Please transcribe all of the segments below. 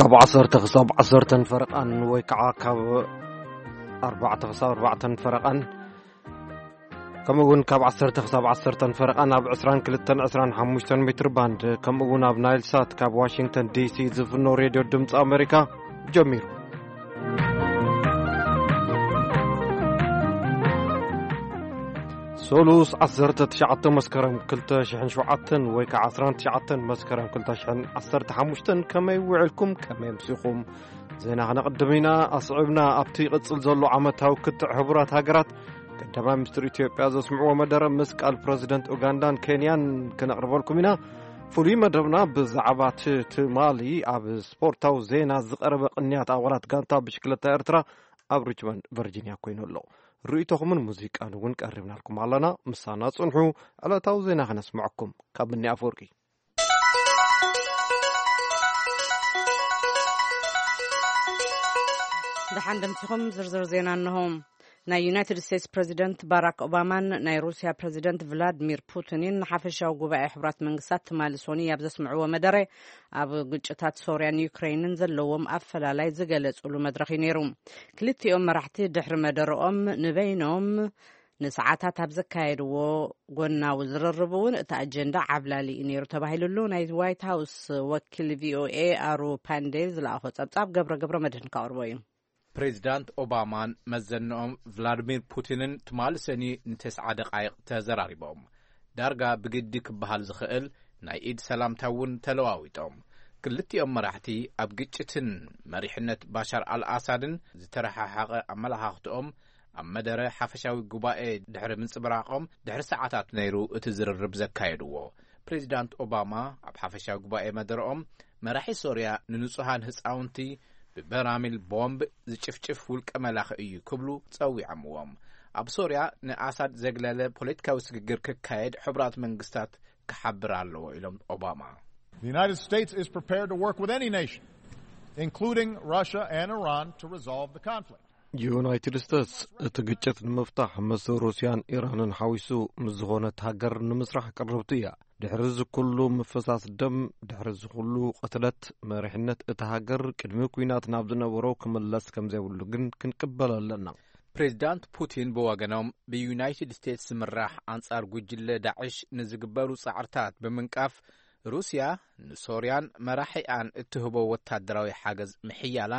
ካብ ዓሰርተ ክሳብ ዓሰርተን ፈረቓን ወይ ከዓ ካብ ኣርባዕተ ክሳብ ኣርባዕተን ፈረቓን፣ ከምኡ እውን ካብ ዓሰርተ ክሳብ ዓሰርተን ፈረቓን ኣብ ዕስራን ክልተን ዕስራን ሓሙሽተን ሜትር ባንድ፣ ከምኡ እውን ኣብ ናይል ሳት ካብ ዋሽንግተን ዲ ሲ ዝፍኖ ሬድዮ ድምፂ ኣሜሪካ ጀሚሩ። ሶሉስ ዓሰርተ ትሽዓተ መስከረም ክልተ ሽሕን ሸውዓተን ወይ ከዓ ዓሰርተ ትሽዓተ መስከረም ክልተ ሽሕን ዓሰርተ ሓሙሽተን፣ ከመይ ውዕልኩም? ከመይ ኣምሲኹም? ዜና ክነቕድም ኢና። ኣስዒብና ኣብቲ ይቕጽል ዘሎ ዓመታዊ ክትዕ ሕቡራት ሃገራት፣ ቀዳማይ ሚኒስትር ኢትዮጵያ ዘስምዕዎ መደረ ምስ ቃል ፕረዚደንት ኡጋንዳን ኬንያን ክነቕርበልኩም ኢና። ፍሉይ መደብና ብዛዕባ እቲ ትማሊ ኣብ ስፖርታዊ ዜና ዝቐረበ ቅንያት ኣባላት ጋንታ ብሽክለታ ኤርትራ ኣብ ሪችመንድ ቨርጂንያ ኮይኑ ኣሎ። ርእይቶኹምን ሙዚቃን እውን ቀሪብናልኩም ኣለና። ምሳና ጽንሑ። ዕለታዊ ዜና ከነስምዐኩም ካብ ብኒ ኣፈወርቂ። ደሓን ደምሲኹም። ዝርዝር ዜና እንሆ። ናይ ዩናይትድ ስቴትስ ፕረዚደንት ባራክ ኦባማን ናይ ሩስያ ፕረዚደንት ቭላድሚር ፑቲንን ንሓፈሻዊ ጉባኤ ሕቡራት መንግስታት ትማሊ ሶኒ ኣብ ዘስምዕዎ መደረ፣ ኣብ ግጭታት ሶርያን ዩክሬንን ዘለዎም ኣፈላላይ ዝገለጹሉ መድረኽ እዩ ነይሩ። ክልቲኦም መራሕቲ ድሕሪ መደረኦም ንበይኖም ንሰዓታት ኣብ ዘካየድዎ ጎናዊ ዝርርብ እውን እቲ ኣጀንዳ ዓብላሊ እዩ ነይሩ ተባሂሉሉ። ናይ ዋይት ሃውስ ወኪል ቪ ኦ ኤ ኣሩ ፓንዴ ዝለኣኾ ጸብጻብ ገብረ ገብረ መድህን ከቕርቦ እዩ። ፕሬዚዳንት ኦባማን መዘንኦም ቭላድሚር ፑቲንን ትማሊ ሰኒ ንተስዓ ደቓይቕ ተዘራሪቦም። ዳርጋ ብግዲ ክበሃል ዝኽእል ናይ ኢድ ሰላምታ እውን ተለዋዊጦም። ክልቲኦም መራሕቲ ኣብ ግጭትን መሪሕነት ባሻር ኣልኣሳድን ዝተረሓሓቐ ኣመለኻኽትኦም ኣብ መደረ ሓፈሻዊ ጉባኤ ድሕሪ ምንጽብራቖም ድሕሪ ሰዓታት ነይሩ እቲ ዝርርብ ዘካየድዎ። ፕሬዚዳንት ኦባማ ኣብ ሓፈሻዊ ጉባኤ መደረኦም መራሒ ሶርያ ንንጹሃን ህጻውንቲ ብበራሚል ቦምብ ዝጭፍጭፍ ውልቀ መላኺ እዩ ክብሉ ጸዊዖምዎም። ኣብ ሶርያ ንኣሳድ ዘግለለ ፖለቲካዊ ስግግር ክካየድ ሕቡራት መንግስታት ክሓብር ኣለዎ ኢሎም ኦባማ። The United States is prepared to work with any nation, including Russia and Iran, to resolve the conflict. ዩናይትድ ስቴትስ እቲ ግጭት ንምፍታሕ ምስ ሩስያን ኢራንን ሓዊሱ ምስ ዝኾነት ሃገር ንምስራሕ ቅርብቲ እያ። ድሕሪ እዚ ኩሉ ምፍሳስ ደም፣ ድሕሪ እዚ ኩሉ ቅትለት፣ መሪሕነት እታ ሃገር ቅድሚ ኲናት ናብ ዝነበሮ ክምለስ ከም ዘይብሉ ግን ክንቅበሎ ኣለና። ፕሬዚዳንት ፑቲን ብወገኖም ብዩናይትድ ስቴትስ ዝምራሕ ኣንጻር ጉጅለ ዳዕሽ ንዝግበሩ ጻዕርታት ብምንቃፍ፣ ሩስያ ንሶርያን መራሒኣን እትህቦ ወታደራዊ ሓገዝ ምሕያላ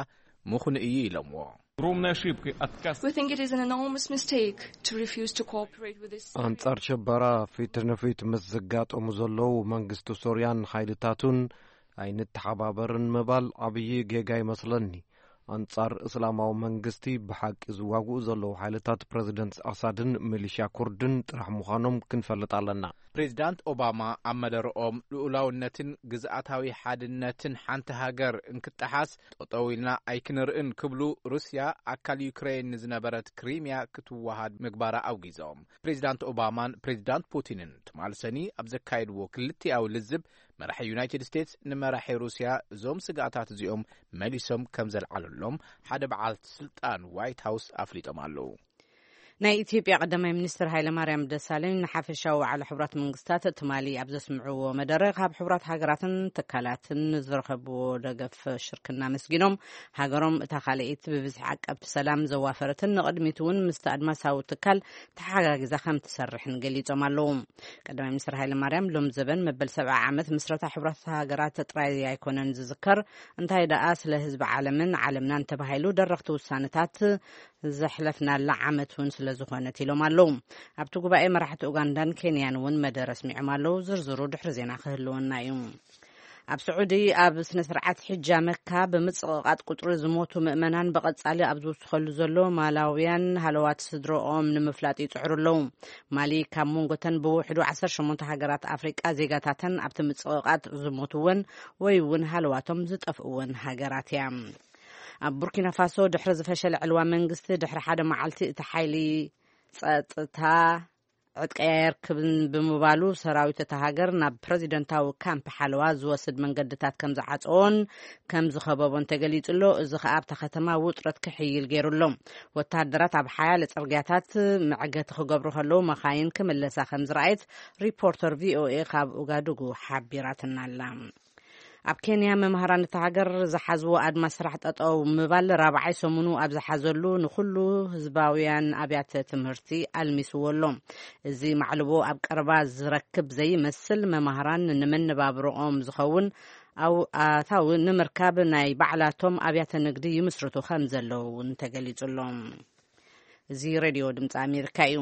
ምኹኑ እዩ ኢሎምዎ። Огромной ошибкой отказ. We think it is an enormous mistake to refuse to cooperate with this. ኣንጻር ሸበራ ፊት ንፊት ምስ ዝጋጠሙ ዘለዉ መንግስቲ ሶርያን ሓይልታቱን ኣይንተሓባበርን ምባል ዓብዪ ጌጋ ይመስለኒ። ኣንጻር እስላማዊ መንግስቲ ብሓቂ ዝዋግኡ ዘለዉ ሓይልታት ፕረዚደንት ኣሳድን ሚሊሽያ ኩርድን ጥራሕ ምዃኖም ክንፈልጥ ኣለና። ፕሬዚዳንት ኦባማ ኣብ መደረኦም፣ ልኡላውነትን ግዝኣታዊ ሓድነትን ሓንቲ ሃገር እንክጠሓስ ጠጠው ኢልና ኣይክንርእን ክብሉ፣ ሩስያ ኣካል ዩክሬን ንዝነበረት ክሪሚያ ክትወሃድ ምግባራ ኣውጊዞም። ፕሬዚዳንት ኦባማን ፕሬዚዳንት ፑቲንን ትማሊ ሰኒ ኣብ ዘካየድዎ ክልቲኣዊ ልዝብ፣ መራሒ ዩናይትድ ስቴትስ ንመራሒ ሩስያ እዞም ስግኣታት እዚኦም መሊሶም ከም ዘልዓለሎም ሓደ በዓል ስልጣን ዋይት ሃውስ ኣፍሊጦም ኣለዉ። ናይ ኢትዮጵያ ቀዳማይ ሚኒስትር ሃይለማርያም ደሳለኝ ንሓፈሻዊ ዋዕላ ሕቡራት መንግስታት ትማሊ ኣብ ዘስምዕዎ መደረ፣ ካብ ሕቡራት ሃገራትን ትካላትን ዝረኸብዎ ደገፍ ሽርክና ኣመስጊኖም፣ ሃገሮም እታ ካልኣይቲ ብብዝሒ ዓቀብቲ ሰላም ዘዋፈረትን ንቕድሚት እውን ምስቲ ኣድማሳዊ ትካል ተሓጋጊዛ ከም ትሰርሕን ገሊጾም ኣለዉ። ቀዳማይ ሚኒስትር ሃይለማርያም፣ ሎም ዘበን መበል ሰብዓ ዓመት ምስረታ ሕቡራት ሃገራት ጥራይ ኣይኮነን ዝዝከር፣ እንታይ ደኣ ስለ ህዝቢ ዓለምን ዓለምናን ተባሂሉ ደረኽቲ ውሳነታት ዘሕለፍናላ ዓመት እውን ስለ ዝኾነት ኢሎም ኣለዉ። ኣብቲ ጉባኤ መራሕቲ ኡጋንዳን ኬንያን እውን መደረ ኣስሚዖም ኣለዉ። ዝርዝሩ ድሕሪ ዜና ክህልወና እዩ። ኣብ ስዑዲ ኣብ ስነ ስርዓት ሕጃ መካ ብምጽቕቓጥ ቁጽሪ ዝሞቱ ምእመናን ብቐጻሊ ኣብ ዝውስኸሉ ዘሎ፣ ማላውያን ሃለዋት ስድረኦም ንምፍላጥ ይጽዕሩ ኣለዉ። ማሊ ካብ መንጎተን ብውሕዱ ዓሰርተ ሸሞንተ ሃገራት ኣፍሪቃ ዜጋታተን ኣብቲ ምጽቕቓጥ ዝሞትወን ወይ እውን ሃለዋቶም ዝጠፍእወን ሃገራት እያ። ኣብ ቡርኪና ፋሶ ድሕሪ ዝፈሸለ ዕልዋ መንግስቲ፣ ድሕሪ ሓደ መዓልቲ እቲ ሓይሊ ጸጥታ ዕጥቂ ኣየርክብን ብምባሉ፣ ሰራዊት እታ ሃገር ናብ ፕረዚደንታዊ ካምፕ ሓለዋ ዝወስድ መንገድታት ከም ዝዓጸዎን ከም ዝኸበቦን ተገሊጹ ኣሎ። እዚ ከኣ ኣብታ ከተማ ውጥረት ክሕይል ገይሩ ኣሎ። ወተሃደራት ኣብ ሓያለ ጽርግያታት መዕገቲ ክገብሩ ከለዉ፣ መኻይን ክምለሳ ከም ዝረኣየት ሪፖርተር ቪ ኦ ኤ ካብ ኡጋዱጉ ሓቢራትና ኣላ። ኣብ ኬንያ መምሃራን እታ ሃገር ዝሓዝዎ ኣድማ ስራሕ ጠጠው ምባል ራብዓይ ሰሙኑ ኣብ ዝሓዘሉ ንኹሉ ህዝባውያን ኣብያተ ትምህርቲ ኣልሚስዎ ኣሎ። እዚ ማዕልቦ ኣብ ቀረባ ዝረክብ ዘይመስል፣ መምሃራን ንመነባብሮኦም ዝኸውን ኣው-፣ ኣታዊ ንምርካብ ናይ ባዕላቶም ኣብያተ ንግዲ ይምስርቱ ከም ዘለዉ እውን ተገሊጹ ኣሎ። እዚ ሬድዮ ድምፂ ኣሜሪካ እዩ።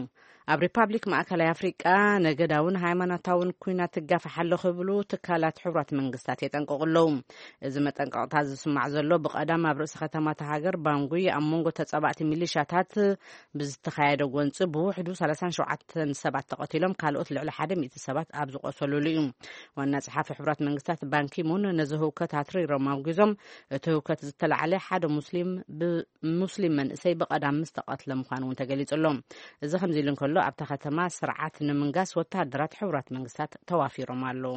ኣብ ሪፓብሊክ ማእከላይ ኣፍሪቃ ነገዳውን ሃይማኖታውን ኩናት ትጋፋሕ ኣሎ ክብሉ ትካላት ሕቡራት መንግስታት የጠንቅቑ ኣለዉ። እዚ መጠንቀቕታ ዝስማዕ ዘሎ ብቐዳም ኣብ ርእሲ ከተማ እታ ሃገር ባንጉይ ኣብ መንጎ ተጻባእቲ ሚሊሻታት ብዝተኻየደ ጎንፂ ብውሕዱ ሰላሳን ሸውዓተን ሰባት ተቐቲሎም ካልኦት ልዕሊ ሓደ ሚእቲ ሰባት ኣብ ዝቆሰሉሉ እዩ። ዋና ጸሓፊ ሕቡራት መንግስታት ባንኪሙን ነዚ ህውከት ኣትሪሮም ኣውጊዞም፣ እቲ ህውከት ዝተላዕለ ሓደ ሙስሊም ብ-፣ ሙስሊም መንእሰይ ብቐዳም ምስ ተቐትለ ምዃኑ እውን ተገሊጹ ኣሎ። እዚ ከምዚ ኢሉ እንከሎ፣ ኣብታ ከተማ ስርዓት ንምንጋስ ወተሃደራት ሕቡራት መንግስታት ተዋፊሮም ኣለዉ።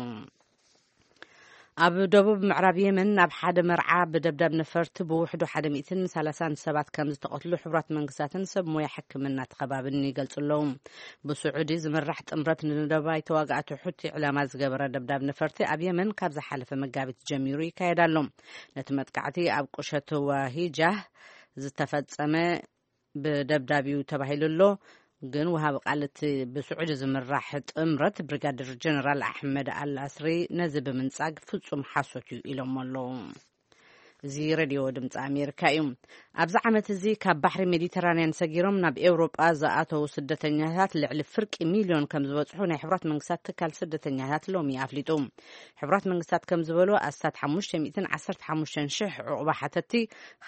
ኣብ ደቡብ ምዕራብ የመን ኣብ ሓደ መርዓ ብደብዳብ ነፈርቲ ብውሕዱ ሓደ ሚእትን ሰላሳን ሰባት ከም ዝተቐትሉ ሕቡራት መንግስታትን ሰብ ሞያ ሕክምና እቲ ከባብን ይገልጹ ኣለዉ። ብስዑዲ ዝምራሕ ጥምረት ንደባይ ተዋጋእቲ ሑቲ ዕላማ ዝገበረ ደብዳብ ነፈርቲ ኣብ የመን ካብ ዝሓለፈ መጋቢት ጀሚሩ ይካየድ ኣሎ። ነቲ መጥቃዕቲ ኣብ ቁሸት ዋሂጃህ ዝተፈጸመ ብደብዳብ እዩ ተባሂሉ ኣሎ። ግን ወሃቢ ቃል እቲ ብስዑዲ ዝምራሕ ጥምረት ብሪጋደር ጀነራል ኣሕመድ ኣል ኣስሪ ነዚ ብምንጻግ ፍጹም ሓሶት እዩ ኢሎም ኣለዉ። እዚ ሬድዮ ድምፂ ኣሜሪካ እዩ። ኣብዚ ዓመት እዚ ካብ ባሕሪ ሜዲተራንያን ሰጊሮም ናብ ኤውሮጳ ዝኣተዉ ስደተኛታት ልዕሊ ፍርቂ ሚልዮን ከም ዝበጽሑ ናይ ሕቡራት መንግስታት ትካል ስደተኛታት ሎሚ ኣፍሊጡ። ሕቡራት መንግስታት ከም ዝበሎ፣ ኣስታት ሓሙሽተ ሚእትን ዓሰርተ ሓሙሽተን ሽሕ ዕቑባ ሓተቲ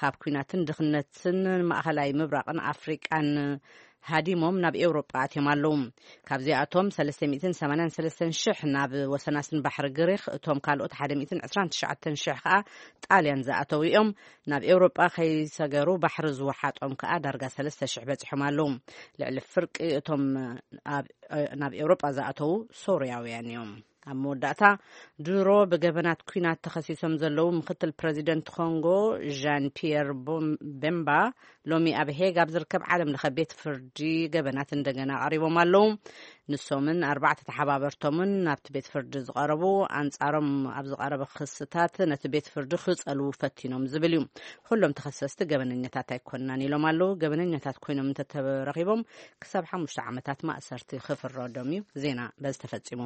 ካብ ኲናትን ድኽነትን ማእኸላይ ምብራቕን ኣፍሪቃን ሃዲሞም ናብ ኤውሮጳ ኣትዮም ኣለዉ። ካብዚኣቶም ሰለስተ ሚእትን ሰማንያን ሰለስተን ሽሕ ናብ ወሰናስን ባሕሪ ግሪኽ፣ እቶም ካልኦት ሓደ ሚእትን ዕስራን ትሽዓተን ሽሕ ከኣ ጣልያን ዝኣተዉ እዮም። ናብ ኤውሮጳ ከይሰገሩ ባሕሪ ዝወሓጦም ከኣ ዳርጋ ሰለስተ ሽሕ በጺሖም ኣለዉ። ልዕሊ ፍርቂ እቶም ኣብ፣ ናብ ኤውሮጳ ዝኣተዉ ሶርያውያን እዮም። ኣብ መወዳእታ፣ ድሮ ብገበናት ኲናት ተኸሲሶም ዘለዉ ምክትል ፕረዚደንት ኮንጎ ዣን ፒየር ቦም-፣ ቤምባ ሎሚ ኣብ ሄግ ኣብ ዝርከብ ዓለም ለኸ ቤት ፍርዲ ገበናት እንደገና ቀሪቦም ኣለዉ። ንሶምን ኣርባዕተ ተሓባበርቶምን ናብቲ ቤት ፍርዲ ዝቐረቡ፣ ኣንጻሮም ኣብ ዝቐረበ ክስታት ነቲ ቤት ፍርዲ ክጸልዉ ፈቲኖም ዝብል እዩ። ኩሎም ተኸሰስቲ ገበነኛታት ኣይኮንናን ኢሎም ኣለዉ። ገበነኛታት ኮይኖም እንተተረኺቦም ክሳብ ሓሙሽተ ዓመታት ማእሰርቲ ክፍረዶም እዩ። ዜና በዚ ተፈጺሙ።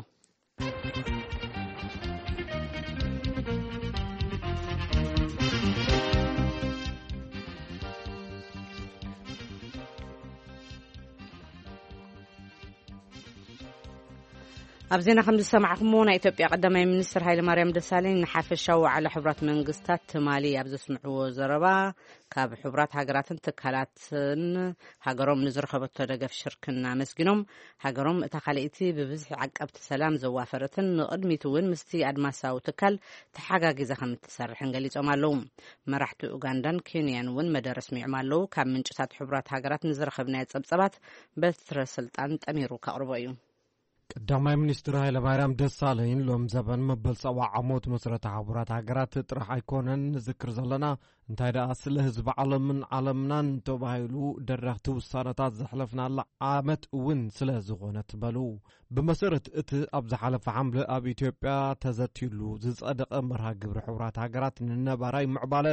ኣብ ዜና ከም ዝሰማዕኩሞ፣ ናይ ኢትዮጵያ ቀዳማይ ሚኒስትር ሃይለማርያም ደሳለኝ ንሓፈሻዊ ዋዕላ ሕቡራት መንግስታት ትማሊ ኣብ ዘስምዕዎ ዘረባ፣ ካብ ሕቡራት ሃገራትን ትካላትን ሃገሮም ንዝረኸበቶ ደገፍ ሽርክና ኣመስጊኖም፣ ሃገሮም እታ ካልኣይቲ ብብዝሒ ዓቀብቲ ሰላም ዘዋፈረትን ንቕድሚት እውን ምስቲ ኣድማሳዊ ትካል ተሓጋጊዛ ከም እትሰርሕን ገሊጾም ኣለዉ። መራሕቲ ኡጋንዳን ኬንያን እውን መደረ ኣስሚዖም ኣለዉ። ካብ ምንጭታት ሕቡራት ሃገራት ንዝረኸብናዮ ጸብጸባት በትረ ስልጣን ጠሚሩ ከቕርቦ እዩ። ቀዳማይ ሚኒስትር ሃይለማርያም ደሳለኝ ሎም ዘበን መበል ሰብዓ ዓሞት መስረታ ሕቡራት ሃገራት ጥራሕ ኣይኮነን ንዝክር ዘለና፣ እንታይ ደኣ ስለ ህዝቢ ዓለምን ዓለምናን ተባሂሉ ደረኽቲ ውሳነታት ዘሕለፍናላ ዓመት እውን ስለ ዝኾነት በሉ። ብመሰረት እቲ ኣብ ዝሓለፈ ሓምለ ኣብ ኢትዮጵያ ተዘትዩሉ ዝጸደቐ መርሃ ግብሪ ሕቡራት ሃገራት ንነባራይ ምዕባለ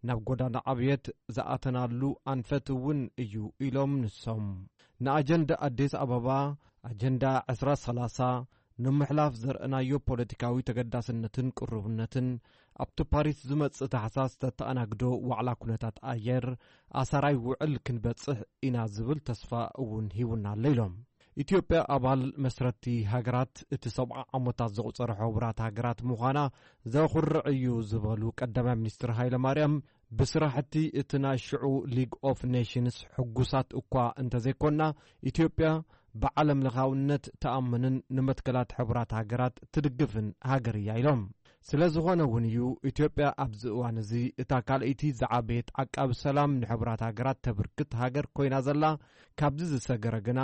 ናብ ጎዳና ዕብየት ዝኣተናሉ ኣንፈት እውን እዩ ኢሎም ንሶም። ንኣጀንዳ ኣዲስ ኣበባ፣ ኣጀንዳ ዕስራ ሰላሳ ንምሕላፍ ዘርእናዮ ፖለቲካዊ ተገዳስነትን ቅሩብነትን ኣብቲ ፓሪስ ዝመጽእ ታሕሳስ ተተኣናግዶ ዋዕላ ኩነታት ኣየር ኣሳራይ ውዕል ክንበጽሕ ኢና ዝብል ተስፋ እውን ሂቡና ኣሎ ኢሎም። ኢትዮጵያ ኣባል መስረቲ ሃገራት እቲ ሰብዓ ዓመታት ዘቑጸረ ሕቡራት ሃገራት ምዃና ዘኹርዕ እዩ ዝበሉ ቀዳማይ ሚኒስትር ሃይለ ማርያም፣ ብስራሕቲ እቲ ናይ ሽዑ ሊግ ኦፍ ኔሽንስ ሕጉሳት እኳ እንተዘይኮና፣ ኢትዮጵያ ብዓለም ለኻውነት ትኣምንን ንመትከላት ሕቡራት ሃገራት ትድግፍን ሃገር እያ ኢሎም። ስለ ዝኾነ እውን እዩ ኢትዮጵያ ኣብዚ እዋን እዚ እታ ካልኣይቲ ዝዓበየት ዓቃቢ ሰላም ንሕቡራት ሃገራት ተብርክት ሃገር ኮይና ዘላ። ካብዚ ዝሰገረ ግና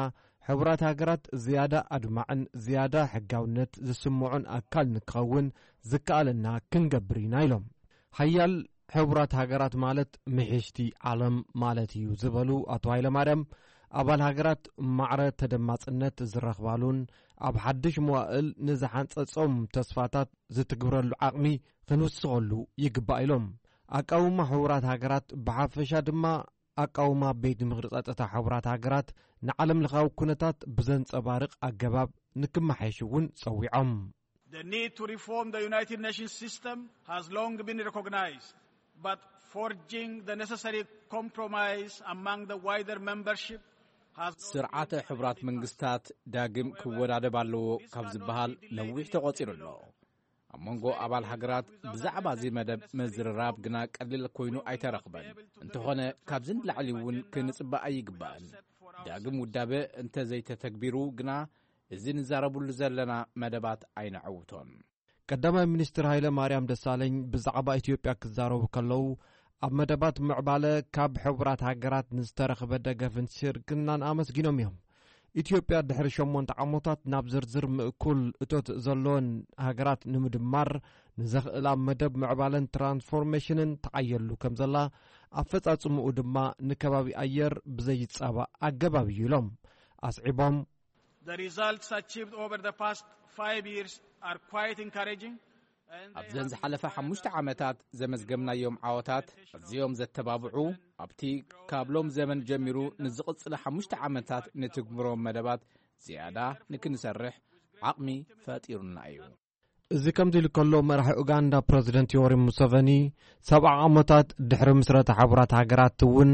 ሕቡራት ሃገራት ዝያዳ ኣድማዕን ዝያዳ ሕጋውነት ዝስምዖን ኣካል ንክኸውን ዝከኣለና ክንገብር ኢና ኢሎም። ሓያል ሕቡራት ሃገራት ማለት ምሕሽቲ ዓለም ማለት እዩ ዝበሉ ኣቶ ሃይለማርያም፣ ኣባል ሃገራት ማዕረ ተደማጽነት ዝረኽባሉን ኣብ ሓድሽ መዋእል ንዝሓንጸጾም ተስፋታት ዝትግብረሉ ዓቕሚ ክንውስኸሉ ይግባእ ኢሎም። ኣቃውማ ሕቡራት ሃገራት ብሓፈሻ ድማ ኣቃውማ ቤት ምኽሪ ጸጥታ ሕቡራት ሃገራት ንዓለም ለኻዊ ኩነታት ብዘንጸባርቕ ኣገባብ ንክመሓየሽ እውን ጸዊዖም። The need to reform the United Nations system has long been recognized, but forging the necessary compromise among the wider membership has not ስርዓተ ሕቡራት መንግስታት ዳግም ክወዳደብ ኣለዎ ካብ ዝበሃል ነዊሕ ተቖጺሩ ኣሎ። ኣብ መንጎ ኣባል ሃገራት ብዛዕባ እዚ መደብ ምዝርራብ ግና ቀሊል ኮይኑ ኣይተረኽበን። እንተኾነ ካብዚ ንላዕሊ እውን ክንጽበ ኣይግባእን። ዳግም ውዳበ እንተዘይተተግቢሩ ግና እዚ ንዛረብሉ ዘለና መደባት ኣይነዐውቶን። ቀዳማይ ሚኒስትር ሃይለ ማርያም ደሳለኝ ብዛዕባ ኢትዮጵያ ክዛረቡ ከለዉ ኣብ መደባት ምዕባለ ካብ ሕቡራት ሃገራት ንዝተረኽበ ደገፍን ሽርክናን ኣመስጊኖም እዮም። ኢትዮጵያ ድሕሪ ሸሞንተ ዓመታት ናብ ዝርዝር ምእኩል እቶት ዘለወን ሃገራት ንምድማር ንዘኽእላ መደብ ምዕባለን ትራንስፎርሜሽንን ትዓየሉ ከም ዘላ ኣፈጻጽምኡ ድማ ንከባቢ ኣየር ብዘይጻባእ ኣገባብ እዩ ኢሎም። ኣስዒቦም The results achieved over the past five years are quite encouraging. ኣብዘን ዝሓለፈ ሓሙሽተ ዓመታት ዘመዝገብናዮም ዓወታት ኣዝዮም ዘተባብዑ፣ ኣብቲ ካብ ሎም ዘመን ጀሚሩ ንዝቕጽለ ሓሙሽተ ዓመታት ንትግብሮም መደባት ዝያዳ ንክንሰርሕ ዓቕሚ ፈጢሩና እዩ። እዚ ከምዚ ኢሉ ከሎ መራሒ ኡጋንዳ ፕረዚደንት ዮወሪ ሙሰቨኒ ሰብዓ ዓመታት ድሕሪ ምስረታ ሕቡራት ሃገራት እውን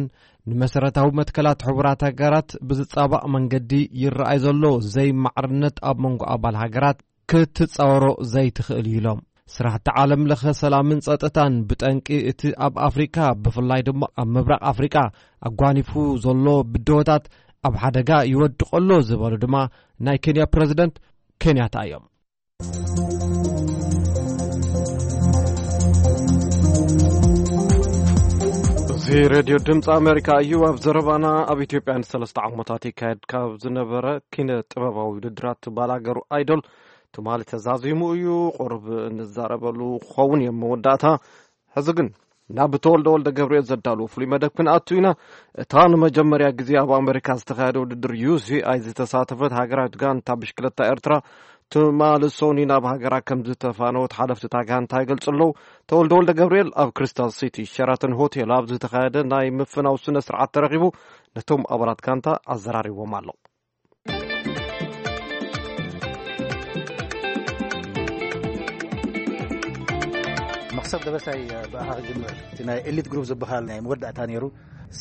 ንመሰረታዊ መትከላት ሕቡራት ሃገራት ብዝጻባእ መንገዲ ይረኣይ ዘሎ ዘይማዕርነት ኣብ መንጎ ኣባል ሃገራት ክትጻወሮ ዘይትኽእል እዩ ኢሎም። ስራሕቲ ዓለም ለኸ ሰላምን ጸጥታን ብጠንቂ እቲ ኣብ ኣፍሪካ ብፍላይ ድማ ኣብ ምብራቕ ኣፍሪካ ኣጓኒፉ ዘሎ ብድሆታት ኣብ ሓደጋ ይወድቕ ኣሎ ዝበሉ ድማ ናይ ኬንያ ፕረዚደንት ኬንያታ እዮም። እዚ ሬድዮ ድምፂ ኣሜሪካ እዩ። ኣብ ዘረባና ኣብ ኢትዮጵያ ንሰለስተ ዓመታት ይካየድ ካብ ዝነበረ ኪነ ጥበባዊ ውድድራት ባላገሩ ኣይዶል ትማሊ ተዛዚሙ እዩ። ቁሩብ እንዛረበሉ ክኸውን እዮም መወዳእታ። ሕዚ ግን ናብ ተወልደ ወልደ ገብርኤል ዘዳልዎ ፍሉይ መደብ ክንኣቱ ኢና። እታ ንመጀመርያ ግዜ ኣብ ኣሜሪካ ዝተኻየደ ውድድር ዩ ሲ ኣይ ዝተሳተፈት ሃገራዊት ጋንታ ብሽክለታ ኤርትራ ትማሊ ሰኑይ ናብ ሃገራ ከም ዝተፋነወት ሓለፍቲ እታ ጋንታ ይገልጹ ኣለዉ። ተወልደ ወልደ ገብርኤል ኣብ ክሪስታል ሲቲ ሸራተን ሆቴል ኣብ ዝተኻየደ ናይ ምፍናው ስነ ስርዓት ተረኺቡ ነቶም ኣባላት ጋንታ ኣዘራሪቦም ኣሎ። መኽሰብ ደበሳይ ብኣኻ ክጅምር። እቲ ናይ ኤሊት ግሩፕ ዝበሃል ናይ መወዳእታ ነይሩ።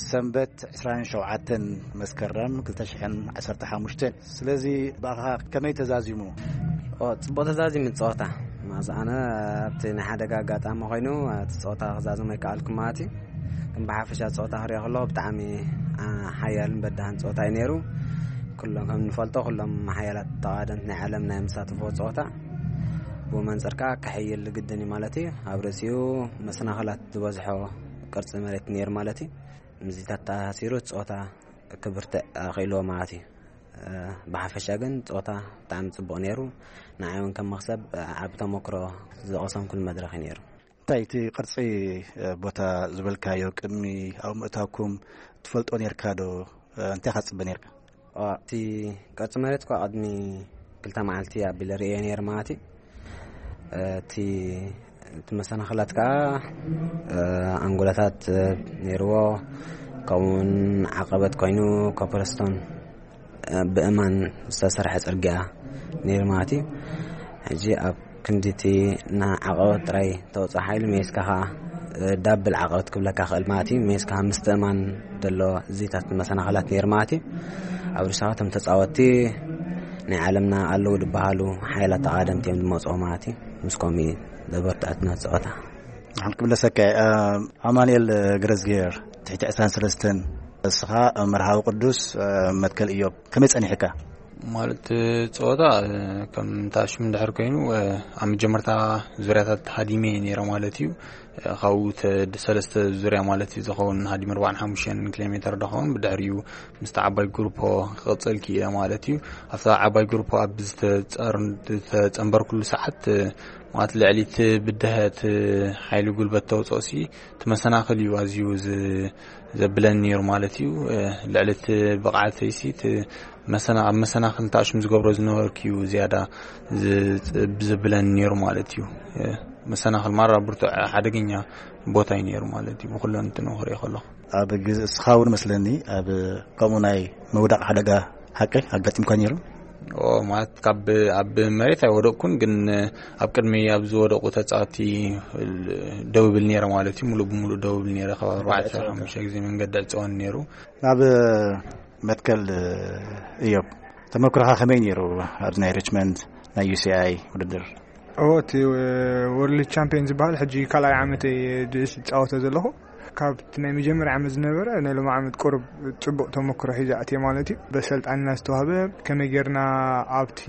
ሰንበት ዕስራን ሸውዓተን መስከረም ክልተ ሽሕን ዓሰርተ ሓሙሽተን። ስለዚ ብኣኻ ከመይ ተዛዚሙ? ኦ፣ ጽቡቕ ተዛዚሙ ጸወታ። ማዝ ኣነ ኣብቲ ናይ ሓደጋ ኣጋጣሚ ኮይኑ እቲ ጸወታ ክዛዘሞ ኣይከኣልኩ ማለት እዩ። ግን ብሓፈሻ ጸወታ ክሪኦ ከለኹ ብጣዕሚ፣ አ፣ ሓያልን በዳህን ጸወታ እዩ ነይሩ። ኩሎም ከም ንፈልጦ ኩሎም ሓያላት ተቓደምቲ ናይ ዓለም ናይ መሳተፍዎ ጸወታ ብኡ መንጽር ከኣ ክሕይል ግድን እዩ ማለት እዩ። ኣብ ርእሲኡ መሰናኽላት ዝበዝሖ ቅርጺ መሬት ነይሩ ማለት እዩ። ምስዚታት ተኣሳሲሩ ጸወታ ክብርትዕ ኣኽኢልዎ ማለት እዩ። እ፣ ብሓፈሻ ግን ጸወታ ብጣዕሚ ጽቡቕ ነይሩ። ንዓይ እውን ከም መኽሰብ፣ እ፣ ዓቢ ተመክሮ ዝቐሰምኩሉ መድረኽ እዩ ነይሩ። እንታይ እቲ ቅርጺ፣ እ፣ ቦታ ዝበልካዮ ቅድሚ ኣብ ምእታውኩም ትፈልጦ ነርካ ዶ? እ፣ እንታይ ኢኻ ትጽበ ነርካ? ኦ፣ እቲ ቅርጺ መሬት እኳ ቅድሚ ክልተ መዓልቲ ኣቢለ ርእየ ነይረ ማለት እዩ። እቲ እቲ መሰናኽላት ከኣ፣ እ፣ ኣንጎላታት፣ እ፣ ነይርዎ። ከምኡውን ዓቐበት ኮይኑ ኮፐርስቶን፣ እ፣ ብእማን ዝተሰርሐ ጽርግያ ነይሩ ማለት እዩ። ሕጂ ኣብ ክንዲ እቲ ንዓቐበት ጥራይ ተውጽኦ ሓይሊ ሜስካ ከኣ፣ እ፣ ዳብል ዓቐበት ክብለካ ክእል ማለት እዩ። ሜስካ ምስትእማን ዘሎ እዚታት መሰናኽላት ነይሩ ማለት እዩ። ኣብ ርእስኻ እቶም ተጻወትቲ ናይ ዓለምና ኣለዉ ዝበሃሉ ሓይላት ተቓደምቲ እዮም ዝመጽኡ ማለት እዩ። ምስ ከምኡ እዩ ዘበርትዐትና ጸወታ። ንሓን ክምለሰካ እየ። ኣማኑኤል ገረዝጌር ትሕቲ ዕስራን ሰለስተን፣ እስኻ መርሃዊ ቅዱስ መትከል እዮብ ከመይ ጸኒሕካ? ማለት ጸወታ ከም ታሽሙ እንድሕር ኮይኑ ኣብ መጀመርታ ዙርያታት ሃዲመ ነይረ ማለት እዩ። ካብኡ ተ-፣ ሰለስተ ዙርያ ማለት እዩ ዝኸውን ሃዲመ ኣርባዓን ሓሙሽተን ኪሎ ሜትር ዝኸውን ብድሕሪኡ ምስቲ ዓባይ ግሩፖ ክቕጽል ክኢለ ማለት እዩ። ኣብታ ዓባይ ግሩፖ ኣብ ዝተጸር-፣ ዝተጸንበርኩሉ ሰዓት ማለት ልዕሊ እቲ ብድሀት ሓይሊ ጉልበት ተውፅኦ ሲ እቲ መሰናኽል እዩ ኣዝዩ ዝ-፣ ዘብለን ነይሩ ማለት እዩ። ልዕሊ እቲ ብቕዓተይሲ እቲ መሰና ኣብ መሰናኽል ታሽም ዝገብሮ ዝነበርኩ እዩ ዝያዳ ዘብለን ነይሩ ማለት እዩ። መሰናኽል ማራ ብርቱዕ ሓደገኛ ቦታ እዩ ነይሩ ማለት እዩ። ብኩለን እንትንኽሪኦ ከለኹ ኣብ ግዜ እስኻ እውን መስለኒ ኣብ ከምኡ ናይ ምውዳቕ ሓደጋ ሓቂ ኣጋጢምካ ነይሩ? ማለት ካብ ኣብ መሬት ኣይወደቅኩን፣ ግን ኣብ ቅድሚ ኣብ ዝወደቁ ተጻወቲ ደው ይብል ነይረ ማለት እዩ። ሙሉእ ብሙሉእ ደው ይብል ነይረ። ካብ ኣርባዕተ ሓሙሽተ ግዜ መንገዲ ዕጸወን ነይሩ። ናብ መትከል እዮብ፣ ተመክሮኻ ከመይ ነይሩ ኣብዚ ናይ ሪችመንድ ናይ ዩ ሲ ኣይ ውድድር? እዎ፣ እቲ ወርልድ ቻምፒዮን ዝበሃል ሕጂ ካልኣይ ዓመተይ ዝፃወቶ ዘለኹ። ካብቲ ናይ መጀመርያ ዓመት ዝነበረ ናይ ሎም ዓመት ቁሩብ ፅቡቅ ተመክሮ ሒዘ ኣትየ ማለት እዩ። በሰልጣንና ዝተዋህበ ከመይ ጌርና ኣብቲ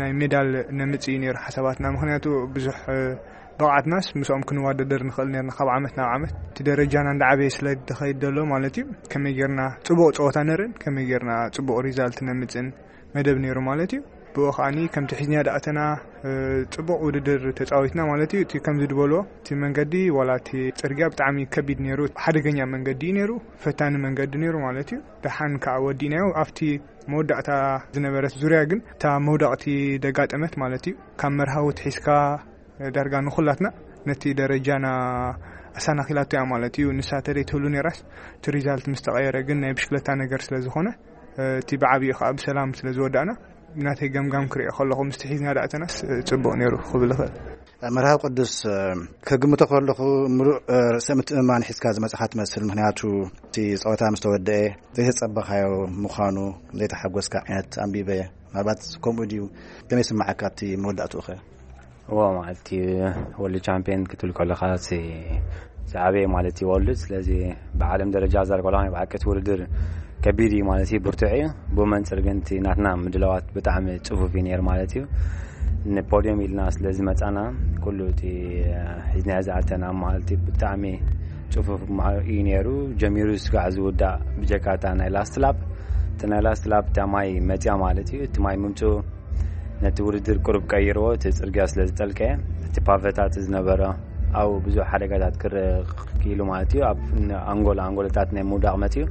ናይ ሜዳል ነምፅእ እዩ ነይሩ ሓሳባትና። ምክንያቱ ብዙሕ ብቕዓትናስ ምስኦም ክንዋደደር ንኽእል ነርና። ካብ ዓመት ናብ ዓመት እቲ ደረጃና እንዳዓበየ ስለ ዝኸይድ ዘሎ ማለት እዩ። ከመይ ጌርና ፅቡቕ ፀወታ ነርን ከመይ ጌርና ፅቡቕ ሪዛልት ነምፅእን መደብ ነይሩ ማለት እዩ። ብኡ ከዓኒ ከምቲ ሒዝና ዳእተና ፅቡቕ ውድድር ተፃዊትና ማለት እዩ። እቲ ከምዚ ዝበሎ እቲ መንገዲ ዋላ እቲ ፅርግያ ብጣዕሚ ከቢድ ነይሩ። ሓደገኛ መንገዲ እዩ ነይሩ። ፈታኒ መንገዲ ነይሩ ማለት እዩ። ደሓን ከዓ ወዲእናዮ ኣብቲ መወዳእታ ዝነበረት ዙርያ ግን እታ መውዳቕቲ ደጋጠመት ማለት እዩ። ካብ መርሃዊ ትሒዝካ ዳርጋ ንኹላትና ነቲ ደረጃና ኣሳናኺላቶ እያ ማለት እዩ። ንሳ ተደይ ትህሉ ነራስ እቲ ሪዛልት ምስ ተቐየረ ግን ናይ ብሽክለታ ነገር ስለ ዝኾነ እቲ ብዓብዩ ከዓ ብሰላም ስለ ዝወዳእና ናተይ ገምጋም ክሪኦ ከለኹ ምስቲ ሒዝና ዳእተናስ ፅቡቕ ነይሩ ክብል ይኽእል። መርሃብ ቅዱስ፣ ከግምቶ ከለኹ ምሉእ ርእሰ ምትእምማን ሒዝካ ዝመፅኻ ትመስል። ምክንያቱ እቲ ፀወታ ምስ ተወደአ ዘይተፀበኻዮ ምዃኑ ዘይተሓጎስካ ዓይነት ኣንቢበ። ምናልባት ከምኡ ድዩ? ከመይ ስምዓካ ኣብቲ መወዳእትኡ ኸ? እዎ፣ ማለት እዩ። ወርልድ ቻምፒዮን ክትብል ከለኻ ሲ ዝዓበየ ማለት እዩ ወርልድ። ስለዚ ብዓለም ደረጃ ዘር ከለኻ ናይ ብሓቂ እቲ ውድድር ከቢድ እዩ ማለት እዩ፣ ብርቱዕ እዩ። ብመንፅር ግን እቲ ናትና ምድላዋት ብጣዕሚ ፅፉፍ እዩ ነይሩ ማለት እዩ። ንፖድዮም ኢልና ስለ ዝመፃና ኩሉ እቲ ሒዝናዮ ዝኣተና ማለት እዩ ብጣዕሚ ፅፉፍ ማ- እዩ ነይሩ። ጀሚሩ ስጋዕ ዝውዳእ ብጀካታ ናይ ላስት ላፕ፣ እቲ ናይ ላስት ላፕ እታ ማይ መፅያ ማለት እዩ። እቲ ማይ ምምፅኡ ነቲ ውድድር ቁሩብ ቀይርዎ፣ እቲ ጽርግያ ስለ ዝጠልቀየ። እቲ ፓቨታት ዝነበረ ኣብኡ ብዙሕ ሓደጋታት ክረአ ክኢሉ ማለት እዩ። ኣብ ኣንጎል ኣንጎልታት ናይ ምውዳቕ መጽዩ።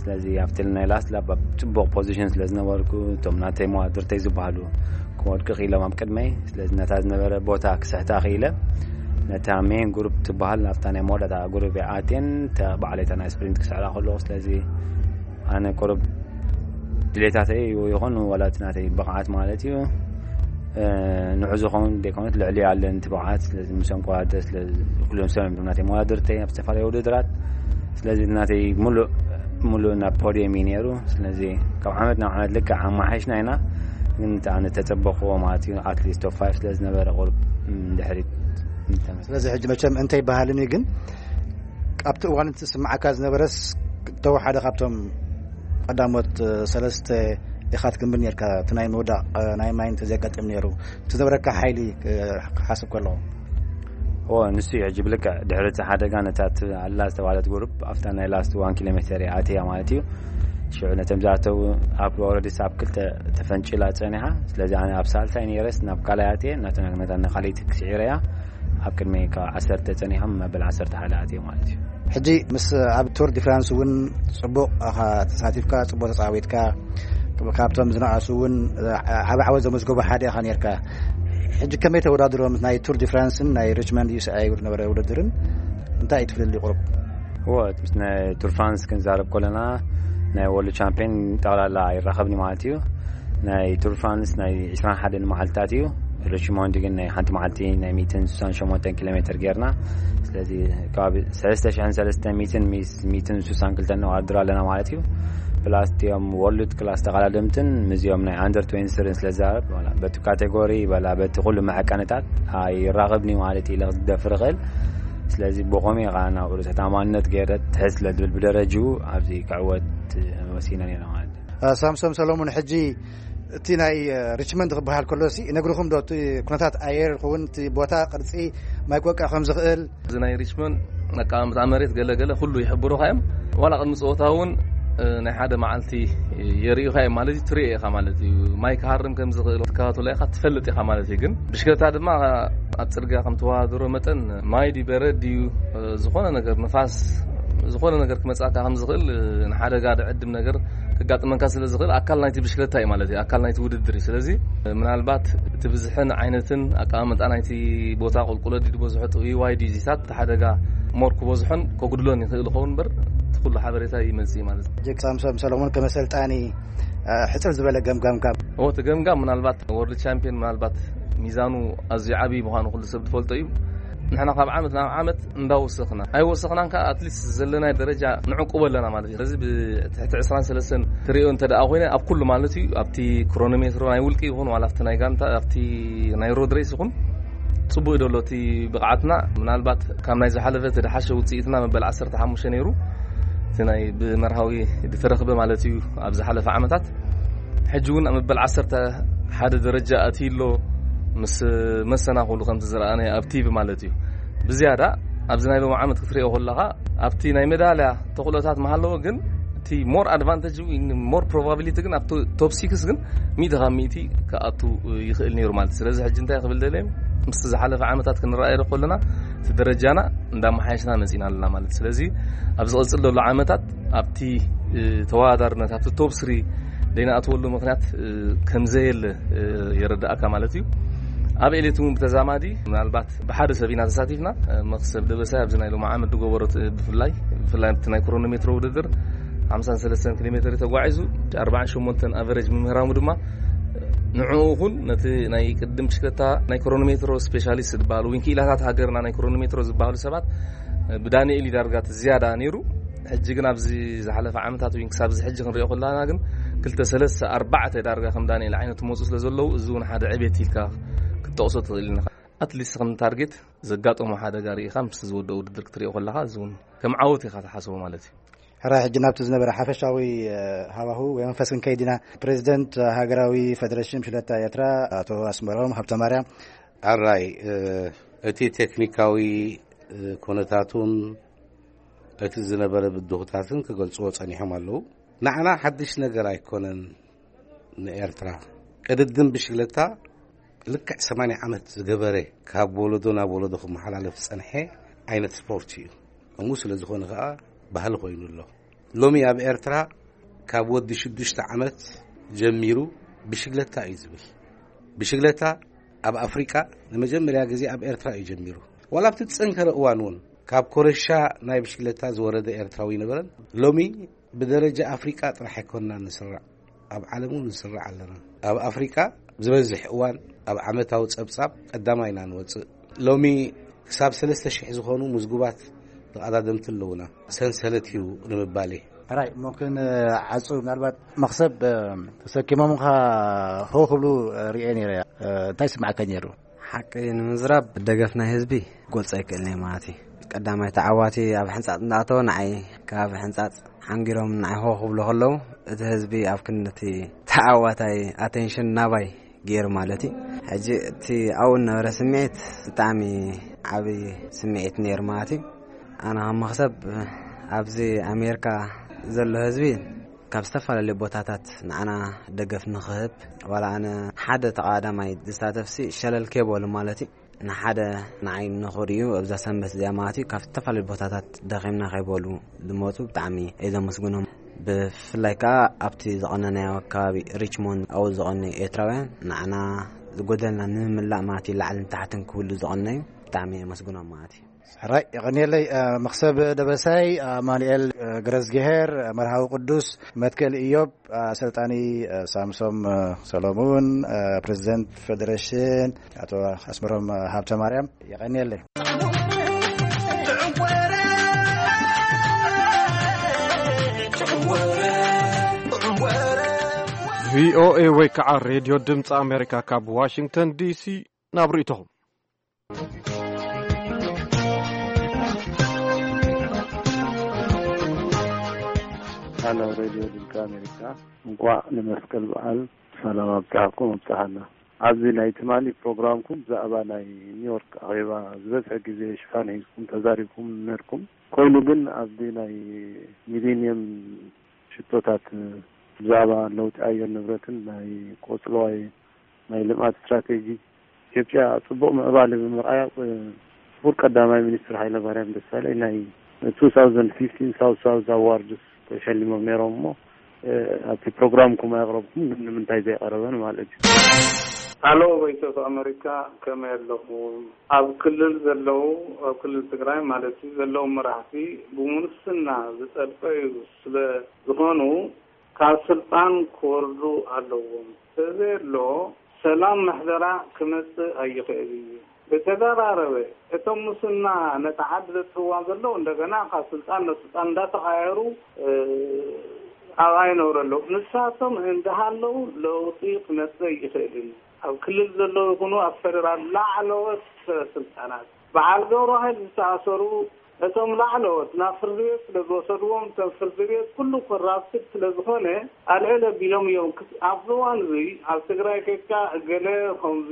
ስለዚ ኣብቲ ናይ ላስት ላፕ ኣብ ጽቡቕ ፖዚሽን ስለ ዝነበርኩ እቶም ናተይ መዋድርተይ ዝበሃሉ ክወድቁ ክኢሎም ኣብ ቅድመይ። ስለዚ ነታ ዝነበረ ቦታ ክስሕታ ክኢለ። ነታ ሜን ግሩፕ ትበሃል ናብታ ናይ መወዳእታ ግሩፕ እየ ኣትየን እታ ባዕለይታ ናይ ስፕሪንት ክስዕራ ከለኹ። ስለዚ ኣነ ቁሩብ ድሌታተይ ይኹን ዋላ እቲ ናተይ ብቕዓት ማለት እዩ፣ ንዑ ዝኾውን ደይኮነት ልዕሊ ኣለን እቲ ብቕዓት። ስለዚ ምስኦም ክወዳደር ስለ ኩሎም ሰብ እዮም ናተይ መወዳድርተይ ኣብ ዝተፈላለዩ ውድድራት። ስለዚ ናተይ ሙሉእ ሙሉእ ናብ ፖድየም እዩ ነይሩ። ስለዚ ካብ ዓመት ናብ ዓመት ልክዕ ኣማሓይሽና ኢና፣ ግን እቲ ኣነ ተጸበኽዎ ማለት እዩ ኣትሊስት ቶፕ ፋይቭ ስለ ዝነበረ ቁሩብ ድሕሪት እንተመ- ስለዚ ሕጂ መቸም እንተ ይበሃልን እዩ፣ ግን ኣብቲ እዋን እቲ ስምዓካ ዝነበረስ ተወ ሓደ ካብቶም ቀዳሞት ሰለስተ ኢኻ ትግምት ነርካ፣ እቲ ናይ ምውዳቕ ናይ ማይ እንተዘየጋጥም ነይሩ እቲ ዝነበረካ ሓይሊ ክሓስብ ከለኹ? እዎ፣ ንሱ እዩ። ሕጂ ብልክዕ ድሕሪ እቲ ሓደጋ ነታ ት- ኣላ ዝተባህለት ግሩፕ ኣብታ ናይ ላስት ዋን ኪሎ ሜተር እያ ኣትያ ማለት እዩ። ሽዑ ነቶም ዝኣተው ኣብ ኦረዲ ሳብ ክልተ ተፈንጭላ ጸኒሓ። ስለዚ ኣነ ኣብ ሳልሳይ ነይረስ ናብ ካልኣይ ኣትየ ናተና ነታ ንካልኣይቲ ክስዒረያ ኣብ ቅድሚ ካብ ዓሰርተ ጸኒሖም መበል ዓሰርተ ሓደ ኣትዮም ማለት እዩ። ሕጂ ምስ ኣብ ቱር ዲ ፍራንስ እውን ጽቡቕ ኢኻ ተሳቲፍካ፣ ጽቡቕ ተጻዊትካ፣ ካብቶም ዝነኣሱ እውን ዓቢ ዓወት ዘመዝገቡ ሓደ ኢኻ ነርካ። ሕጂ ከመይ ተወዳድሮ ምስ ናይ ቱር ዲ ፍራንስን ናይ ሪችመንድ ዩ ኤስ ኤ ዝነበረ ውድድርን እንታይ እዩ ትፍልሊ ቁሩብ? እዎ፣ ምስ ናይ ቱር ፍራንስ ክንዛረብ ከለና ናይ ወርልድ ቻምፒዮን ጠቕላላ ይራኸብኒ ማለት እዩ። ናይ ቱር ፍራንስ ናይ ዕስራን ሓደን መዓልትታት እዩ። ሪችሞንድ ግን ናይ ሓንቲ መዓልቲ ናይ ሚእትን ስሳን ሸሞንተን ኪሎ ሜትር ጌርና። ስለዚ ከባቢ ሰለስተ ሽሕን ሰለስተ ሚእትን ሚስ ሚእትን ስሳን ክልተን ነዋድር ኣለና ማለት እዩ። ፕላስ እቲኦም ወርልድ ክላስ ተቐዳደምትን ምስዚኦም ናይ ኣንደር ትዌንቲ ስርን ስለ ዝዛረብ፣ ዋላ በቲ ካቴጎሪ በላ በቲ ኩሉ መዐቀንታት ኣይራኸብኒ ማለት እዩ ኢለ ክደፍር እኽእል። ስለዚ ብኸመይ ከዓ ናብ ርእሰ ተኣማንነት ገይረ ትሕት ስለ ዝብል ብደረጅኡ ኣብዚ ክዕወት ወሲነ ነይረ ማለት እዩ። ሳምሶም ሰሎሞን፣ ሕጂ እቲ ናይ ሪችመንድ ክበሃል ከሎ ሲ ነግርኹም ዶ እቲ ኩነታት ኣየር ይኸውን እቲ ቦታ ቅርጺ ማይ ክወቅዕ ከም ዝኽእል? እዚ ናይ ሪችመንድ ኣቀማምጣ መሬት ገለ ገለ ኩሉ ይሕብሩኻ እዮም። ዋላ ቅድሚ ፀወታ እውን ናይ ሓደ መዓልቲ የርእዩኻ እዮም ማለት እዩ። ትሪኦ ኢኻ ማለት እዩ። ማይ ክሃርም ከም ዝኽእል ትከታተሎ ኢኻ፣ ትፈልጥ ኢኻ ማለት እዩ። ግን ብሽክለታ ድማ ኣብ ፅርግያ ከም ተወዳድሮ መጠን ማይ ድዩ በረድ ድዩ ዝኾነ ነገር ንፋስ ዝኾነ ነገር ክመጻካ ከም ዝኽእል፣ ንሓደጋ ድዕድም ነገር ክጋጥመካ ስለ ዝኽእል፣ ኣካል ናይቲ ብሽክለታ እዩ ማለት እዩ፣ ኣካል ናይቲ ውድድር እዩ። ስለዚ ምናልባት እቲ ብዝሕን ዓይነትን ኣቀማምጣ ናይቲ ቦታ፣ ቁልቁለት ድዩ ዝበዝሖ፣ ጥውይዋይ ድዩ፣ ዚታት፣ እቲ ሓደጋ ሞር ክበዝሖን ከጉድሎን ይኽእል ይኸውን እምበር፣ እቲ ኩሉ ሓበሬታ ይመጽእ እዩ ማለት እዩ። ጅግ ሳምሶም ሰሎሞን፣ ከመ ሰልጣኒ፣ እ፣ ሕጽር ዝበለ ገምጋምካ። እዎ፣ እቲ ገምጋም ምናልባት ወርልድ ቻምፒዮን ምናልባት ሚዛኑ ኣዝዩ ዓብዪ ምዃኑ ኩሉ ሰብ ዝፈልጦ እዩ። ንሕና ካብ ዓመት ናብ ዓመት እንዳወሰኽና፣ ኣይወሰኽናን ከኣ፣ ኣትሊስት ዘለናይ ደረጃ ንዕቁቦ ኣለና ማለት እዩ። ስለዚ ብትሕቲ ዕስራን ሰለስተን ትሪኦ እንተ ደኣ ኮይነ፣ ኣብ ኩሉ ማለት እዩ፣ ኣብቲ ክሮኖሜትሮ ናይ ውልቂ ይኹን ዋላ ኣብቲ ናይ ጋንታ፣ ኣብቲ ናይ ሮድ ሬስ ይኹን፣ ጽቡቕ እዩ ደሎ እቲ ብቕዓትና። ምናልባት ካብ ናይ ዝሓለፈ እቲ ድሓሸ ውጽኢትና መበል ዓሰርተ ሓሙሽተ ነይሩ፣ እቲ ናይ ብመርሃዊ ዝተረኽበ ማለት እዩ ኣብ ዝሓለፈ ዓመታት። ሕጂ እውን ኣብ መበል ዓሰርተ ሓደ ደረጃ ኣትዩ ኣሎ፣ ምስ መሰናኽሉ ከምቲ ዝረኣናዮ ኣብ ቲቪ ማለት እዩ። ብዝያዳ ኣብዚ ናይ ሎሚ ዓመት ክትሪኦ ከለኻ፣ ኣብቲ ናይ ሜዳልያ ተኽእሎታት መሃለዎ፣ ግን እቲ ሞር ኣድቫንቴጅ፣ ሞር ፕሮባቢሊቲ ግን ኣብቲ ቶፕ ሲክስ ግን ሚእቲ ካብ ሚእቲ ክኣቱ ይኽእል ነይሩ ማለት እዩ። ስለዚ ሕጂ እንታይ ክብል ደልየ፣ ምስቲ ዝሓለፈ ዓመታት ክንረኣዮ ከለና፣ እቲ ደረጃና እንዳመሓየሽና መጺና ኣለና ማለት እዩ። ስለዚ ኣብ ዝቕጽል ዘሎ ዓመታት ኣብቲ፣ እ፣ ተወዳዳርነት፣ ኣብቲ ቶፕ ስሪ ዘይንኣትወሉ ምኽንያት፣ እ፣ ከም ዘየለ፣ እ፣ የረድኣካ ማለት እዩ። ኣብ ኤሌት እውን ብተዛማዲ ምናልባት ብሓደ ሰብ ኢና ተሳቲፍና። እ፣ መኽሰብ ደበሳይ ኣብዚ ናይ ሎሚ ዓመት ዝገበሮ፣ እ፣ ብፍላይ፣ ብፍላይ ኣብቲ ናይ ክሮኖሜትሮ ውድድር ሓምሳን ሰለስተን ኪሎ ሜትር ተጓዒዙ፣ ኣርባዓን ሸሞንተን ኣቨሬጅ ምምህራሙ ድማ፣ ንዕኡ ይኹን ነቲ ናይ ቅድም ብሽክለታ ናይ ክሮኖሜትሮ ስፔሻሊስት ዝበሃሉ፣ ወይ ክኢላታት ሃገርና ናይ ክሮኖሜትሮ ዝበሃሉ ሰባት፣ ብዳንኤል እዩ ዳርጋ እቲ ዝያዳ ነይሩ። ሕጂ ግን ኣብዚ ዝሓለፈ ዓመታት ወይ ክሳብ እዚ ሕጂ ክንሪኦ ከለና ግን ክልተ፣ ሰለስተ፣ ኣርባዕተ ዳርጋ ከም ዳንኤል ዓይነት መፁ ስለ ዘለዉ፣ እዚ እውን ሓደ ዕቤት ኢልካ ክትጠቕሶ ትኽእል ኢኻ። ኣትሊስት ከም ታርጌት ዘጋጠሞ ሓደጋ ርኢኻ ምስ ዝወደኦ ውድድር ክትሪኦ ከለኻ፣ እዚ እውን ከም ዓወት ኢኻ ትሓስቦ ማለት እዩ። ሕራይ፣ ሕጂ ናብቲ ዝነበረ ሓፈሻዊ፣ እ፣ ሃዋሁ ወይ መንፈስ ክንከይድ ኢና። ፕሬዚደንት ሃገራዊ ፌደሬሽን ብሽክለታ ኤርትራ ኣቶ ኣስመሮም ሃብተማርያም። ኣራይ፣ እ፣ እቲ ቴክኒካዊ፣ እ፣ ኩነታቱን እቲ ዝነበረ ብድሆታትን ክገልጽዎ ጸኒሖም ኣለዉ። ንዓና ሓድሽ ነገር ኣይኮነን። ንኤርትራ ቅድድም ብሽክለታ ልክዕ ሰማንያ ዓመት ዝገበረ፣ ካብ ወለዶ ናብ ወለዶ ክመሓላለፍ ዝጸንሐ ዓይነት ስፖርት እዩ። ከምኡ ስለ ዝኾነ ከኣ ባህሊ ኮይኑ ኣሎ። ሎሚ ኣብ ኤርትራ ካብ ወዲ ሽዱሽተ ዓመት ጀሚሩ ብሽግለታ እዩ ዝብል። ብሽግለታ ኣብ ኣፍሪቃ ንመጀመርያ ግዜ ኣብ ኤርትራ እዩ ጀሚሩ። ዋላ ኣብቲ ዝጸንከረ እዋን እውን ካብ ኮረሻ ናይ ብሽግለታ ዝወረደ ኤርትራዊ ኣይነበረን። ሎሚ ብደረጃ ኣፍሪቃ ጥራሕ ኣይኮንና ንስራዕ፣ ኣብ ዓለም እውን ንስራዕ ኣለና። ኣብ ኣፍሪቃ ዝበዝሕ እዋን ኣብ ዓመታዊ ጸብጻብ ቀዳማይ ኢና ንወጽእ። ሎሚ ክሳብ ሰለስተ ሽሕ ዝኾኑ ምዝጉባት ተቐዳደምቲ ኣለዉና፣ ሰንሰለት እዩ ንምባል እዩ። ሕራይ፣ እሞ ክንዓጹ፣ ምናልባት መኽሰብ፣ እ፣ ተሰኪሞምኻ ሆ ክብሉ፣ እ፣ ርእየ ነይረ። እ፣ እንታይ ይስምዓካ ነይሩ? ሓቂ ንምዝራብ፣ ደገፍ ናይ ህዝቢ ክገልጾ ኣይክእልን እየ ማለት እዩ። ቀዳማይ ተዓዋቲ ኣብ ሕንጻጽ እንዳኣተወ ንዓይ ካብ ሕንጻጽ ሓንጊሮም ንዓይ ሆ ክብሉ ከለዉ፣ እቲ ህዝቢ ኣብ ክንዲ እቲ ተዓዋታይ ኣቴንሽን ናባይ ገይሩ ማለት እዩ። ሕጂ እቲ ኣብኡ ዝነበረ ስምዒት ብጣዕሚ ዓብዪ ስምዒት ነይሩ ማለት እዩ። ኣነ ከም መኽሰብ ኣብዚ ኣሜሪካ ዘሎ ህዝቢ ካብ ዝተፈላለዩ ቦታታት ንዓና ደገፍ ንኽህብ፣ ዋላ ኣነ ሓደ ተቐዳዳማይ ዝሳተፍሲ ሸለል ከይበሉ ማለት እዩ፣ ንሓደ ንዓይ ንኽርእዩ ኣብዛ ሰንበት እዚኣ ማለት እዩ፣ ካብ ዝተፈላለዩ ቦታታት ደኺምና ከይበሉ ዝመፁ ብጣዕሚ እየ ዘመስግኖም። ብፍላይ ከዓ ኣብቲ ዝቐነናዮ ከባቢ ሪችሞንድ ኣብኡ ዝቐነዩ ኤርትራውያን ንዓና ዝጎደልና ንምምላእ ማለት እዩ፣ ላዕልን ታሕትን ክብሉ ዝቐነዩ ብጣዕሚ እየ ዘመስግኖም ማለት እዩ። ሕራይ፣ የቐንየለይ፣ እ፣ መኽሰብ ደበሳይ፣ ኣማኑኤል፣ እ፣ ገረዝግሄር፣ እ፣ መርሃዊ ቅዱስ፣ መትከል ኢዮብ፣ እ፣ ኣሰልጣኒ፣ እ፣ ሳምሶም፣ እ፣ ሰሎሙን፣ እ፣ ፕሬዚደንት ፌዴሬሽን ኣቶ ኣስመሮም፣ እ፣ ሃብተ ማርያም፣ የቐንየለይ። ቪኦኤ ወይ ከዓ ሬድዮ ድምፂ ኣሜሪካ ካብ ዋሽንግተን ዲሲ ናብ ርእይቶኹም። ሃሎ ሬድዮ ድምፂ ኣሜሪካ፣ እንቋዕ ንመስቀል በዓል ሰላም ኣብፀሐኩም ኣብፀሐና። ኣብዚ ናይ ትማሊ ፕሮግራምኩም ብዛዕባ ናይ ኒውዮርክ ኣኼባ ዝበዝሐ ግዜ ሽፋን ሒዝኩም ተዛሪብኩም ነርኩም። ኮይኑ ግን ኣብዚ ናይ ሚሊኒየም ሽቶታት ብዛዕባ ለውጢ ኣየር ንብረትን ናይ ቆፅለዋይ ናይ ልምዓት ስትራቴጂ ኢትዮጵያ ፅቡቕ ምዕባለ ብምርኣያ፣ እ፣ ክቡር ቀዳማይ ሚኒስትር ሃይለማርያም ደሳለኝ ናይ two thousand fifteen South South Awards ተሸሊሞም ነይሮም እሞ ኣብቲ ፕሮግራምኩም ኣየቕረብኩም ግን ንምንታይ ዘይቐረበን ማለት እዩ። ኣሎ። ቮይስ ኦፍ ኣመሪካ ከመይ ኣለኹም? ኣብ ክልል ዘለዉ ኣብ ክልል ትግራይ ማለት እዩ ዘለዉ መራሕቲ ብሙስና ዝጠልቀዩ ስለ ዝኾኑ ካብ ስልጣን ክወርዱ ኣለዎም። ተዘየሎ ሰላም ምሕደራ ክመጽእ ኣይኽእል እዩ። ብተደራረበ እቶም ሙስና ነታ ዓዲ ዘጥፍዋ ዘለዉ እንደገና ካብ ስልጣን ናብ ስልጣን እንዳተቐያየሩ ኣብኣ ይነብሩ ኣለዉ። ንሳቶም እንዳሃለዉ ለውጢ ክመጽእ ኣይኽእልን። ኣብ ክልል ዘለዉ ይኹኑ ኣብ ፈደራል ላዕለዎት ስልጣናት በዓል ገብረዋህድ ዝተኣሰሩ እቶም ላዕለዎት ናብ ፍርዲ ቤት ስለ ዝወሰድዎም እቶም ፍርዲ ቤት ኩሉ ኮራፕትድ ስለ ዝኾነ ኣልዕል ኣቢሎም እዮም። ኣብዚ እዋን እዚ ኣብ ትግራይ ከድካ ገለ ከምዚ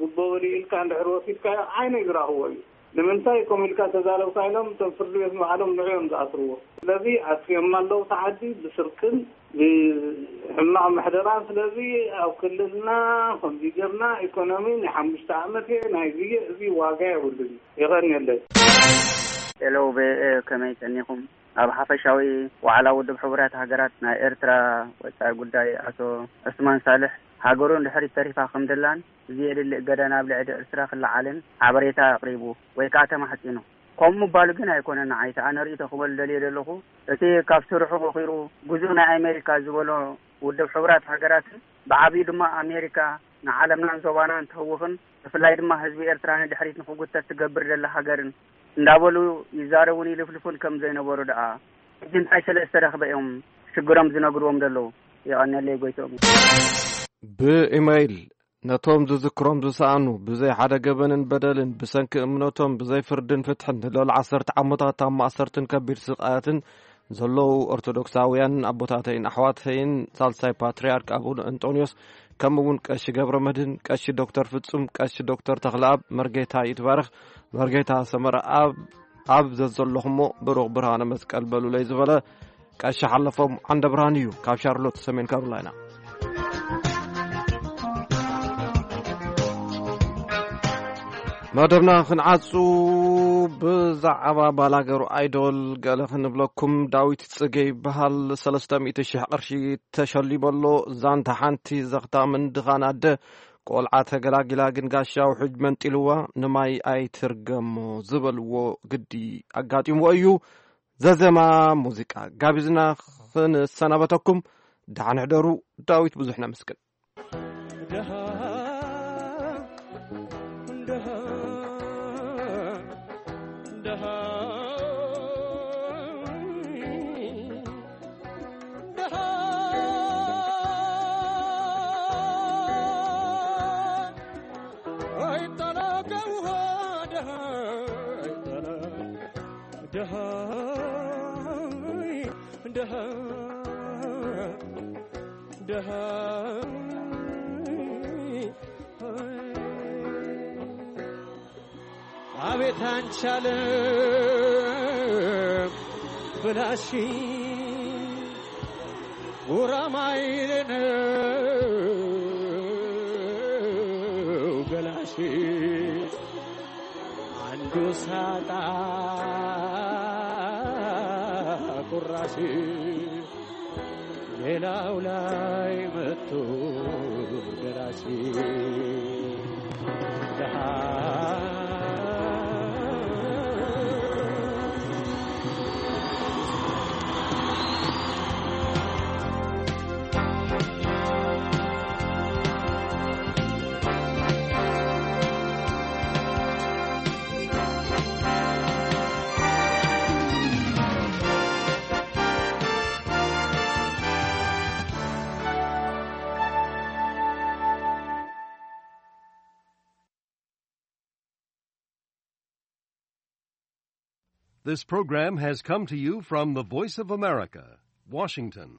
ጉቦ በሊ ኢልካ እንድሕር ወሲድካዮ ዓይነይ ዝረኽቦ እዩ። ንምንታይ ከምኡ ኢልካ ተዛረብካ ኢሎም እቶም ፍርዲ ቤት ንባዕሎም ንዑ እዮም ዝኣስርዎ። ስለዚ ኣስርዮማ ኣለዉ እቲ ዓዲ ብስርቅን ብሕማቕ ምሕደራን። ስለዚ ኣብ ክልልና ከምዚ ጌርና ኢኮኖሚ ናይ ሓሙሽተ ዓመት እየ ናይ ዝየ እዚ ዋጋ የብሉን። የቐንየለይ። ሄሎ ቪኦኤ ከመይ ቀኒኹም? ኣብ ሓፈሻዊ ዋዕላ ውድብ ሕቡራት ሃገራት ናይ ኤርትራ ወጻኢ ጉዳይ ኣቶ ዑስማን ሳልሕ ሃገሩ እንድሕሪት ተሪፋ ከም ደላን እዚ የድሊ እገዳ ናብ ልዕሊ ኤርትራ ክለዓልን ሓበሬታ ኣቕሪቡ ወይ ከኣ ተማሕጺኑ። ከምኡ ምባሉ ግን ኣይኮነን ንዓይ እቲ ኣነ ርእይቶ ክበሉ ደልየ ዘለኹ እቲ ካብ ስርሑ ኾኺሩ ግዙእ ናይ ኣሜሪካ ዝበሎ ውድብ ሕቡራት ሃገራትን ብዓብዩ ድማ ኣሜሪካ ንዓለምናን ዞባናን ትህውኽን ብፍላይ ድማ ህዝቢ ኤርትራ ንድሕሪት ንኽጉተት ትገብር ዘላ ሃገርን እንዳበሉ ይዛረቡን ይልፍልፉን ከም ዘይነበሩ ደኣ ሕጂ እንታይ ስለ ዝተረኽበ እዮም ሽግሮም ዝነግርዎም ዘለዉ? የቐንየለይ ጎይትኦም። ብኢመይል ነቶም ዝዝክሮም ዝሰኣኑ ብዘይ ሓደ ገበንን በደልን ብሰንኪ እምነቶም ብዘይ ፍርድን ፍትሕን ንልዕሊ ዓሰርተ ዓመታት ኣብ ማእሰርትን ከቢድ ስቓያትን ዘለዉ ኦርቶዶክሳውያን ኣቦታተይን ኣሕዋተይን ሳልሳይ ፓትርያርክ ኣቡነ እንጦንዮስ ከምኡ እውን ቀሺ ገብረ መድህን ቀሺ ዶክተር ፍጹም ቀሺ ዶክተር ተኽለኣብ መርጌታ ይትባረኽ መርጌታ ሰመረ ኣብ ኣብ ዘዘለኹሞ ብሩኽ ብርሃነ መስቀል በሉለይ ዝበለ ቀሺ ሓለፎም ዓንደ ብርሃን እዩ ካብ ሻርሎት ሰሜን ካሮላይና። መደብና ክንዓጹ ብዛዕባ ባላገሩ ኣይዶል ገለ ክንብለኩም። ዳዊት ጽገ ይበሃል። ሰለስተ ሚእቲ ሽሕ ቅርሺ ተሸሊመሎ። ዛንታ ሓንቲ ዘኽታምን ድኻን ኣደ ቆልዓ ተገላጊላ ግን ጋሻ ውሕጅ መንጢልዋ ንማይ ኣይትርገሞ ዝበልዎ ግዲ ኣጋጢምዎ እዩ። ዘዘማ ሙዚቃ ጋቢዝና ክንሰናበተኩም ደሓን ሕደሩ። ዳዊት ብዙሕ ነመስግን። ኣቤት አንቻለ ብላሽ ጉራማይሌ ነው ገላሽ አንዱ ሳጣ ቁራሽ ሌላው ላይ መጥቶ ደራሽ ደሃ This program has come to you from the Voice of America, Washington.